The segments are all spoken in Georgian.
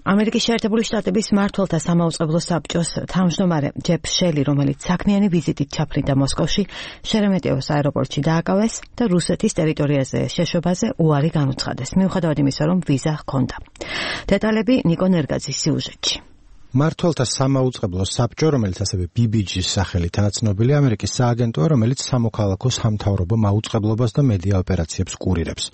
ამერიკის შეერთებული შტატების მმართველთა სამაუწყებლო საბჭოს თავმჯდომარე ჯეფ შელი, რომელიც საქმიანი ვიზიტით ჩაფრინდა მოსკოვში, შერემეტიევოს აეროპორტში დააკავეს და რუსეთის ტერიტორიაზე შეშვებაზე უარი განუცხადეს, მიუხედავად იმისა, რომ ვიზა ჰქონდა. დეტალები ნიკო ნერგაძის სიუჟეტში. მმართველთა სამაუწყებლო საბჭო, რომელიც ასევე BBG-ს სახელითაა ცნობილი, ამერიკის სააგენტოა, რომელიც სამოქალაქო სამთავრობო მაუწყებლობას და მედია ოპერაციებს კურირებს.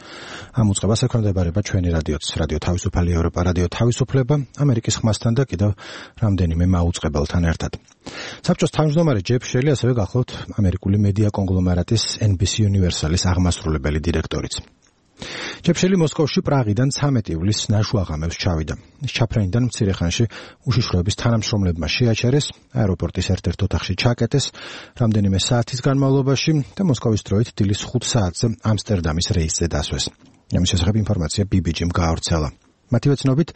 ამ უწყებას ექვემდებარება ჩვენი რადიოც, რადიო თავისუფალი ევროპა, რადიო თავისუფლება, ამერიკის ხმასთან და კიდევ რამდენიმე მაუწყებელთან ერთად. საბჭოს თავმჯდომარე ჯეფ შელი ასევე გახლავთ ამერიკული მედია კონგლომერატის NBC Universalis აღმასრულებელი დირექტორიც. ჯეფ შელი მოსკოვში პრაღიდან 13 ივლისს ნაშვაღამებს ჩავიდა. ჩაფრენიდან მცირე ხანში უშიშროების თანამშრომლებმა შეაჩერეს, აეროპორტის ერთ-ერთ ოთახში ჩაკეტეს რამდენიმე საათის განმავლობაში და მოსკოვის დროით დილის 5 საათზე ამსტერდამის რეისზე დასვეს. ამის შესახებ ინფორმაცია BBG-მ გაავრცელა. მათივე ცნობით,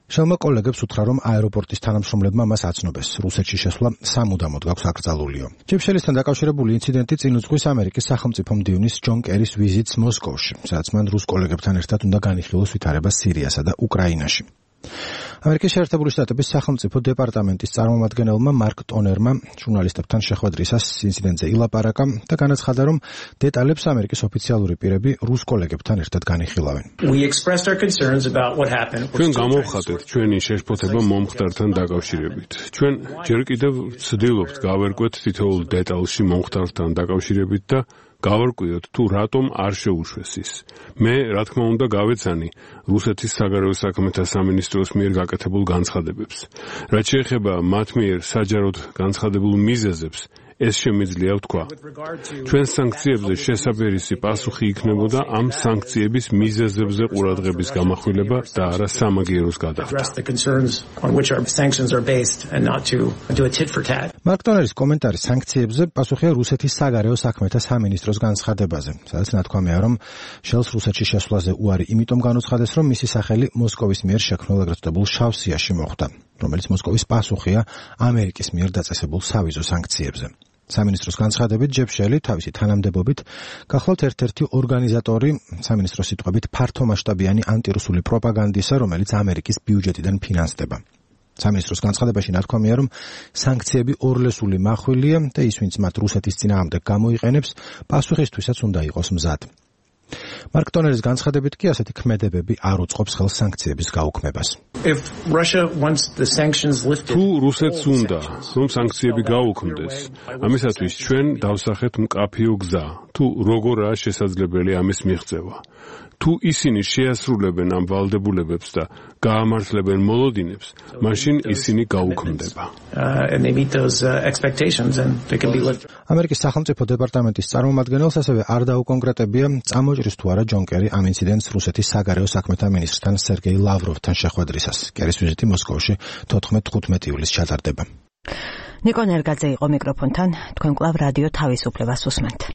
შელმა კოლეგებს უთხრა, რომ აეროპორტის თანამშრომლებმა მას აცნობეს. რუსეთში შესვლა სამუდამოდ გაქვს აკრძალულიო. ჯეფ შელისთან დაკავშირებული ინციდენტი წინ უძღვის ამერიკის სახელმწიფო მდივნის ჯონ კერის ვიზიტს მოსკოვში, სადაც მან რუს კოლეგებთან ერთად უნდა განიხილოს ვითარება სირიასა და უკრაინაში. ამერიკის შეერთებული შტატების სახელმწიფო დეპარტამენტის წარმომადგენელმა მარკ ტონერმა ჟურნალისტებთან შეხვედრისას ინციდენტზე ილაპარაკა და განაცხადა, რომ დეტალებს ამერიკის ოფიციალური პირები რუს კოლეგებთან ერთად განიხილავენ. ჩვენ გამოვხატეთ ჩვენი შეშფოთება მომხდართან დაკავშირებით. ჩვენ ჯერ კიდევ ვცდილობთ გავერკვეთ თითოეულ დეტალში მომხდართან დაკავშირებით და გავარკვიოთ თუ რატომ არ შეუშვეს ის. მე, რა თქმა უნდა, გავეცანი რუსეთის საგარეო საქმეთა სამინისტროს მიერ გაკეთებულ განცხადებებს. რაც შეეხება მათ მიერ საჯაროდ განცხადებულ მიზეზებს, ეს შემიძლია ვთქვა. ჩვენ სანქციებზე შესაბერისი პასუხი იქნებოდა ამ სანქციების მიზეზებზე ყურადღების გამახვილება და არა სამაგიეროს გადახდა. მარკ ტონერის კომენტარი სანქციებზე პასუხია რუსეთის საგარეო საქმეთა სამინისტროს განცხადებაზე, სადაც ნათქვამია, რომ შელს რუსეთში შესვლაზე უარი იმიტომ განუცხადეს, რომ მისი სახელი მოსკოვის მიერ შექმნილ ეგრეთ წოდებულ შავ სიაში მოხვდა, რომელიც მოსკოვის პასუხია ამერიკის მიერ დაწესებულ სავიზო სანქციებზე. სამინისტროს განცხადებით, ჯეფ შელი თავისი თანამდებობით გახლავთ ერთ-ერთი ორგანიზატორი სამინისტროს სიტყვებით ფართომასშტაბიანი ანტირუსული პროპაგანდისა, რომელიც ამერიკის ბიუჯეტიდან ფინანსდება. სამინისტროს განცხადებაში ნათქვამია, რომ სანქციები ორლესული მახვილია და ის, ვინც მათ რუსეთის წინააღმდეგ გამოიყენებს, პასუხისთვისაც უნდა იყოს მზად. მარკ ტონერის განცხადებით კი ასეთი ქმედებები არ უწყობს ხელს სანქციების გაუქმებას. თუ რუსეთს უნდა, რომ სანქციები გაუქმდეს, ამისათვის ჩვენ დავსახეთ მკაფიო გზა, თუ როგორაა შესაძლებელი ამის მიღწევა. თუ ისინი შეასრულებენ ამ ვალდებულებებს და გაამართლებენ მოლოდინებს, მაშინ ისინი გაუქმდება. ამერიკის სახელმწიფო დეპარტამენტის წარმომადგენელს ასევე არ დაუკონკრეტებია, წამოჭრის თუ არა ჯონ კერი ამ ინციდენტს რუსეთის საგარეო საქმეთა მინისტრთან სერგეი ლავროვთან შეხვედრისას. კერის ვიზიტი მოსკოვში 14-15 ივლისს ჩატარდება. ნიკო ნერგაძე იყო მიკროფონთან, თქვენ კვლავ რადიო თავისუფლებას უსმენთ.